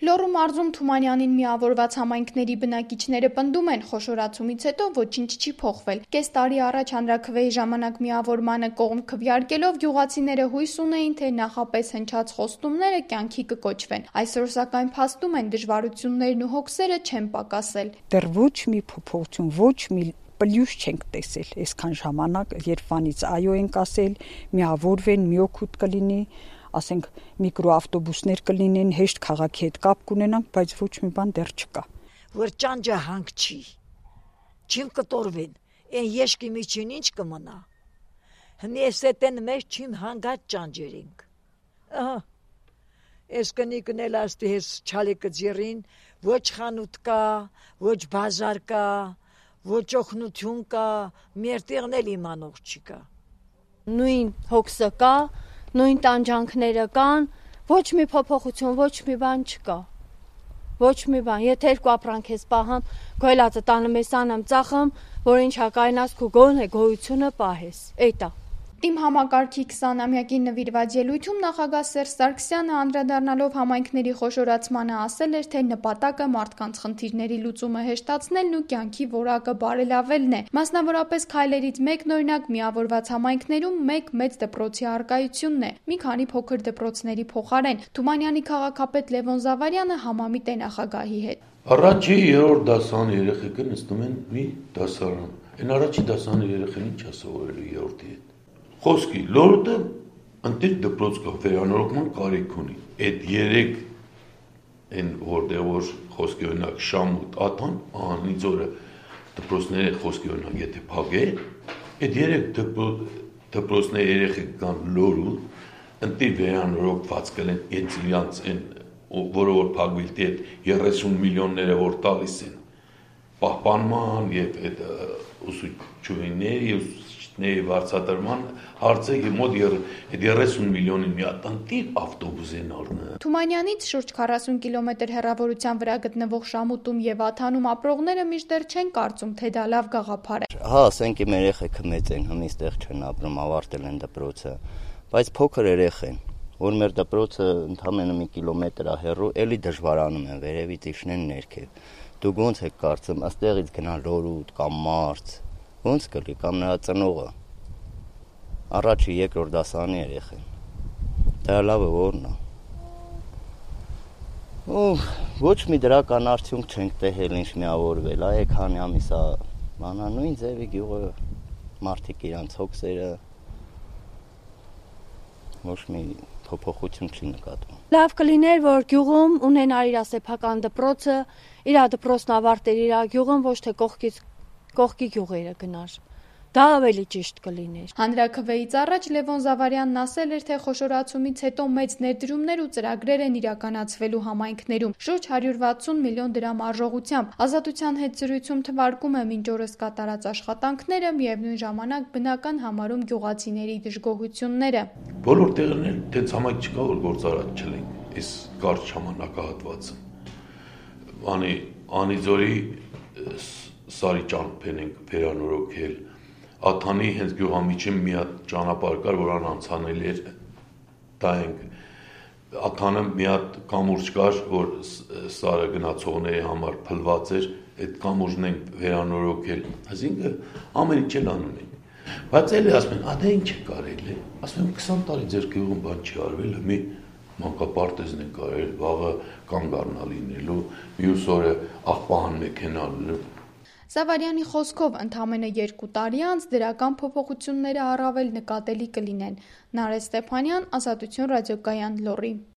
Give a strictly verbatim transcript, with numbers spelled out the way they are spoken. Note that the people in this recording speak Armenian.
Լոռու մարզում Թումանյանին միավորված համայնքների բնակիչները պնդում են, խոշորացումից հետո ոչինչ չի փոխվել։ Կես տարի առաջ հանրաքվեի ժամանակ միավորմանը կողմ քվեարկելով գյուղացիները հույս ունեին, թե նախապես հնչած խոստումները կյանքի կկոչվեն։ Այսօր սակայն փաստում են, դժվարություններն ու հոգսերը չեն պակասել։ Դեռ ոչ մի փոփոխություն, ոչ մի պլյուս չենք տեսել, այսքան ժամանակ, երբ վանից այո ենք ասել, միավորվեն, մի օգուտ կլինի, ասենք միկրոավտոբուսներ կլինեն, հեշտ քաղաքի հետ կապ կունենանք, բայց ոչ մի բան դեռ չկա։ Որ ճանճը հանք չի, չին կտորվեն, են եշկի միջին ինչ կմնա, հնի ես էտեն մեզ չին հանգած ճանճերինք, ահա, ես կնիկն էլ աստի ես չալիկը ձիրին, ոչ խանութ կա, ոչ բազար կա, ոչ օգնություն կա, մերտեղն էլ իմանող չկա։ Նույն հոգսը կա, նույն տանջանքները կան, ոչ մի փոփոխություն, ոչ մի բան չկա, ոչ մի բան, եթե երկու ապրանք ես պահամ, գոյլածը տանում ես անեմ ծախեմ, որ ինչ հակայնաս քու գոն է գոյությունը պահես, էյտա։ Տիմ համակարգի քսանամյակին նվիրված ելույթում նախագահ Սերժ Սարգսյանը անդրադառնալով համայնքների խոշորացմանը ասել էր, թե նպատակը մարդկանց խնդիրների լուծումը հեշտացնելն ու կյանքի որակը բարելավելն է։ Մասնավորապես քայլերից մեկն օրինակ միավորված համայնքներում մեկ մեծ դպրոցի առկայությունն է, մի քանի փոքր դպրոցների փոխարեն։ Թումանյանի քաղաքապետ Լևոն Զավարյանը համամիտ է նախագահի հետ։ Առաջի երրորդ դասարանի երեխեքը նստում են մի դասարան։ Այն առաջի դասարանի երեխեն ինչ ասովորելու երրորդի հետ։ Խոսքի լորդը ընտիր դպրոց կա վերանորոգման կարիք ունի։ Այդ երեք են որտեղ որ խոսքի օրինակ Շամուտ, Աթան, Անիծորը դպրոցների խոսքի օրինակ եթե փակել, այդ երեք դպրոցների երեխեք կան լորու, ընտիր վերանորոգված կլեն այդ իրանց են որը որ փակվիլտի այդ երեսուն միլիոնները որ տալիս են պահպանման եւ այդ ուսուցչուհիների ուսուցիչների վարձատրման հարցը մոտ երեսուն միլիոնի մի հատ ընտիր ավտոբուս են առնել։ Թումանյանից շուրջ քառասուն կիլոմետր հեռավորության վրա գտնվող Շամուտում եւ Աթանում ապրողները միշտեր չեն կարծում, թե դա լավ գաղափար է։ Հա, ասենք իմ երեխեքը մեծ են, հմի ստեղ չեն ապրում, ավարտել են դպրոցը, բայց փոքր երեխ են, որ մեր դպրոցը ընդամենը մի կիլոմետր է հեռու, էլի դժվարանում են վերևից իջնեն ներքև։ Դուք ոնց եք կարծում, աստեղից գնալ լորուտ կամ մարզ, ոնց կլի կամ նրա ծնողը։ Առաջի երկրորդ դասարանի երեխեն։ Դա լավը որն է։ Ու ոչ մի դրական արդյունք չենք տեսել ինչ միավորվել, այ քանի ամիս է բանա նույն ձևի գյուղը մարդիկ իրանց հոգսերը ոչ մի փոփոխություն չի նկատվում։ Լավ կլիներ, որ գյուղում ունենար իր սեփական դպրոցը, իր դպրոցն ավարտեր իր գյուղում, ոչ թե կողքից կողքի գյուղերը գնար։ Դա ավելի ճիշտ կլիներ։ Հանրաքվեից առաջ Լևոն Զավարյանն ասել էր, թե խոշորացումից հետո մեծ ներդրումներ ու ծրագրեր են իրականացվելու համայնքներում, շուրջ հարյուր վաթսուն միլիոն դրամ արժողությամբ։ Ազատության հետ զրույցում թվարկում է մինչ օրս կատարած աշխատանքները, միևնույն ժամանակ բնական համարում գյուղացիների դժգոհությունները։ Բոլոր տեղերն էլ տենց համայնք չկա, որ գործարար չլինի, այս կարճ ժամանակահատվածը։ Անի Անիծորի Սարի ճամփեն ենք վերանորոգել։ Աթանի հենց գյուղամիջին մի հատ ճանապարհ կար, որան անցանել էր, դա ենք Աթանը մի հատ կամուրջ կար, որ Սարը գնացողների համար փլված էր, այդ կամուրջն ենք վերանորոգել, այսինքն ամեն ինչ էլ անում ենք, բայց էլի ասում են, ադե ինչ է կարել է, ասում եմ քսան տարի ձեր գյուղում բան չի արվել, մի մանկապարտեզն են կարել, վաղը կանգ առնա լինելու, մյուս օրը աղբահան մեքենա լինելու։ Զավարյանի խոսքով ընդամենը երկու տարի անց դրական փոփոխությունները առավել նկատելի կլինեն։ Նարէ Ստեփանյան, Ազատություն ռադիոկայան, Լոռի։